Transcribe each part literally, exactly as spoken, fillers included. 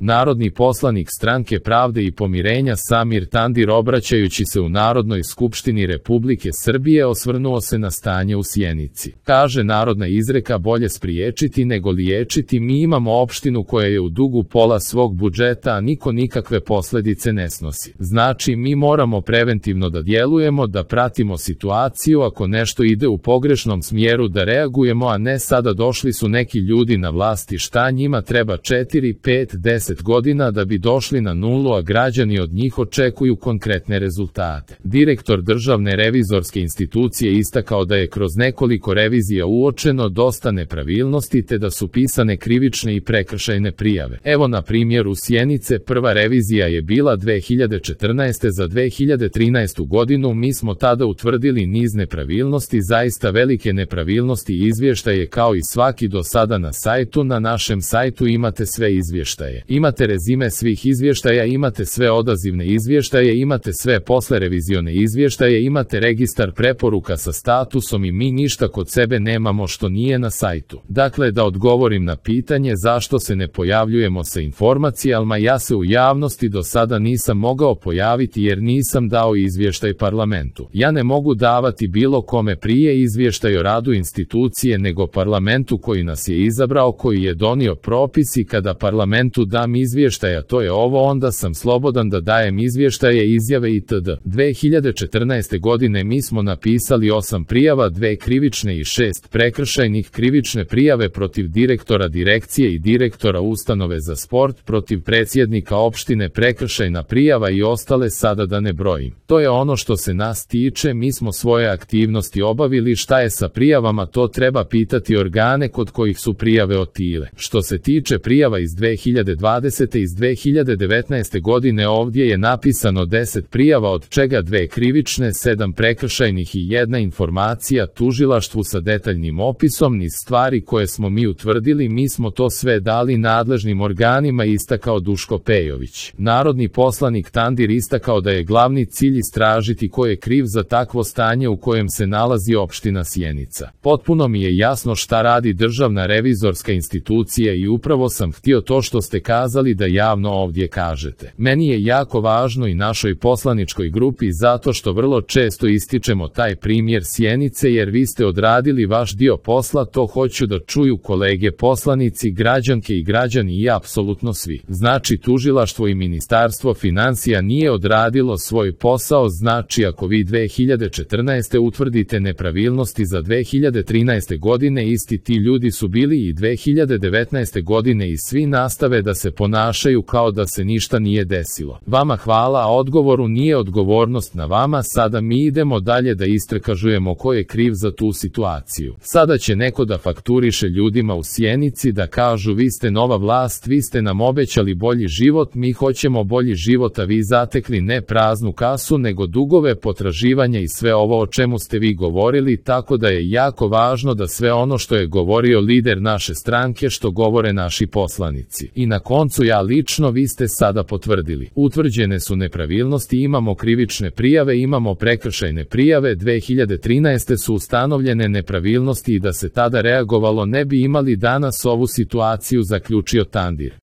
Narodni poslanik Stranke pravde i pomirenja Samir Tandir, obraćajući se u Narodnoj skupštini Republike Srbije, osvrnuo se na stanje u Sjenici. Kaže narodna izreka: bolje spriječiti nego liječiti. Mi imamo opštinu koja je u dugu pola svog budžeta, a niko nikakve posljedice ne snosi. Znači, mi moramo preventivno da djelujemo, da pratimo situaciju, ako nešto ide u pogrešnom smjeru da reagujemo, a ne sada došli su neki ljudi na vlasti, šta njima treba četiri, pet, deset godina da bi došli na nulu, a građani od njih očekuju konkretne rezultate. Direktor Državne revizorske institucije istakao da je kroz nekoliko revizija uočeno dosta nepravilnosti te da su pisane krivične i prekršajne prijave. Evo na primjeru Sjenice, prva revizija je bila dve hiljade četrnaeste. za dve hiljade trinaestu godinu mi smo tada utvrdili niz nepravilnosti, zaista velike nepravilnosti. Izvještaje kao i svaki do sada na sajtu, na našem sajtu imate sve izvještaje. Imate rezime svih izvještaja, imate sve odazivne izvještaje, imate sve poslerevizione izvještaje, imate registar preporuka sa statusom i mi ništa kod sebe nemamo što nije na sajtu. Dakle, da odgovorim na pitanje zašto se ne pojavljujemo sa informacijama, ja se u javnosti do sada nisam mogao pojaviti jer nisam dao izvještaj parlamentu. Ja ne mogu davati bilo kome prije izvještaj o radu institucije nego parlamentu koji nas je izabrao, koji je donio propis, i kada parlamentu dam izvještaja, to je ovo, onda sam slobodan da dajem izvještaje, izjave itd. dve hiljade četrnaeste. godine mi smo napisali osam prijava, dve krivične i šest prekršajnih. Krivične prijave protiv direktora direkcije i direktora ustanove za sport, protiv predsjednika opštine prekršajna prijava i ostale sada da ne brojim. To je ono što se nas tiče, mi smo svoje aktivnosti obavili. Šta je sa prijavama, to treba pitati organe kod kojih su prijave otile. Što se tiče prijava iz dve hiljade dvadesete. iz dve hiljade devetnaeste. godine ovdje je napisano deset prijava, od čega dve krivične, sedam prekršajnih i jedna informacija tužilaštvu sa detaljnim opisom niz stvari koje smo mi utvrdili. Mi smo to sve dali nadležnim organima, istakao Duško Pejović. Narodni poslanik Tandir istakao da je glavni cilj istražiti ko je kriv za takvo stanje u kojem se nalazi opština Sjenica. Potpuno mi je jasno šta radi Državna revizorska institucija i upravo sam htio to što ste kazali da javno ovdje kažete. Meni je jako važno i našoj poslaničkoj grupi zato što vrlo često ističemo taj primjer Sjenice, jer vi ste odradili vaš dio posla, to hoću da čuju kolege poslanici, građanke i građani i apsolutno svi. Znači, tužilaštvo i Ministarstvo financija nije odradilo svoj posao. Znači, ako vi dve hiljade četrnaeste. utvrdite nepravilnosti za dve hiljade trinaeste. godine, isti ti ljudi su bili i dve hiljade devetnaeste. godine i svi nastave da se ponašaju kao da se ništa nije desilo. Vama hvala, a odgovoru nije odgovornost na vama. Sada mi idemo dalje da istražujemo ko je kriv za tu situaciju. Sada će neko da fakturiše ljudima u Sjenici, da kažu vi ste nova vlast, vi ste nam obećali bolji život, mi hoćemo bolji život, a vi zatekli ne praznu kasu nego dugove, potraživanja i sve ovo o čemu ste vi govorili, tako da je jako važno da sve ono što je govorio lider naše stranke, što govore naši poslanici. I na koncu, ja lično, vi ste sada potvrdili. Utvrđene su nepravilnosti, imamo krivične prijave, imamo prekršajne prijave, dve hiljade trinaeste. su ustanovljene nepravilnosti i da se tada reagovalo ne bi imali danas ovu situaciju, zaključio Tandir.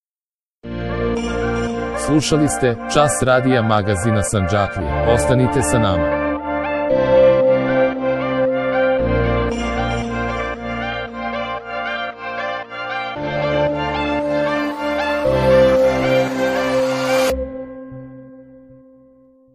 Slušali ste Čas radija magazina Sandžaklija. Ostanite sa nama.